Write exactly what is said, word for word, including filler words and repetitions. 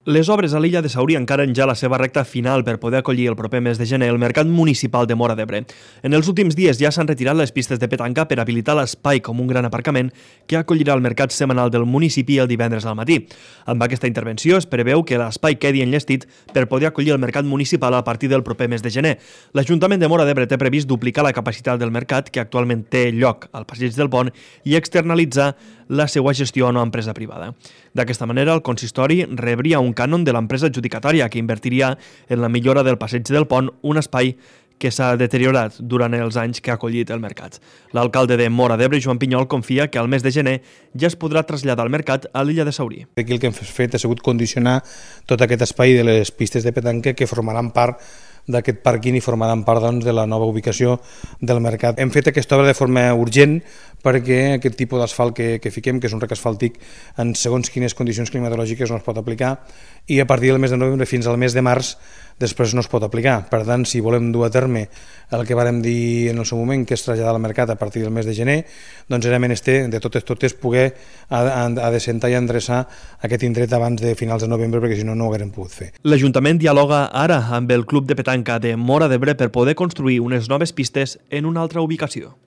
Les obres a l'illa de Saurí encaren ja la seva recta final per poder acollir el proper mes de gener el Mercat Municipal de Móra d'Ebre. En els últims dies ja s'han retirat les pistes de petanca per habilitar l'espai com un gran aparcament que acollirà el mercat setmanal del municipi el divendres al matí. Amb aquesta intervenció es preveu que l'espai quedi enllestit per poder acollir el mercat municipal a partir del proper mes de gener. L'Ajuntament de Móra d'Ebre té previst duplicar la capacitat del mercat que actualment té lloc al Passeig del Pont i externalitzar la seva gestió a una empresa privada. D'aquesta manera, el consistori rebria un cànon de l'empresa adjudicatària que invertiria en la millora del Passeig del Pont, un espai que s'ha deteriorat durant els anys que ha acollit el mercat. L'alcalde de Móra d'Ebre, Joan Pinyol, confia que al mes de gener ja es podrà traslladar el mercat a l'illa de Saurí. Aquí el que hem fet ha sigut condicionar tot aquest espai de les pistes de petanca que formaran part d'aquest pàrquing i formaran part doncs, de la nova ubicació del mercat. Hem fet aquesta obra de forma urgent perquè aquest tipus d'asfalt que, que fiquem, que és un rec asfàltic, en segons quines condicions climatològiques no es pot aplicar i a partir del mes de novembre fins al mes de març després no es pot aplicar. Per tant, si volem dur a terme el que vàrem dir en el seu moment, que és traslladar al mercat a partir del mes de gener, doncs era menester de totes totes poder adecentar i endreçar aquest indret abans de finals de novembre, perquè si no, no ho haguérem pogut fer. L'Ajuntament dialoga ara amb el Club de Petanca de Móra d'Ebre per poder construir unes noves pistes en una altra ubicació.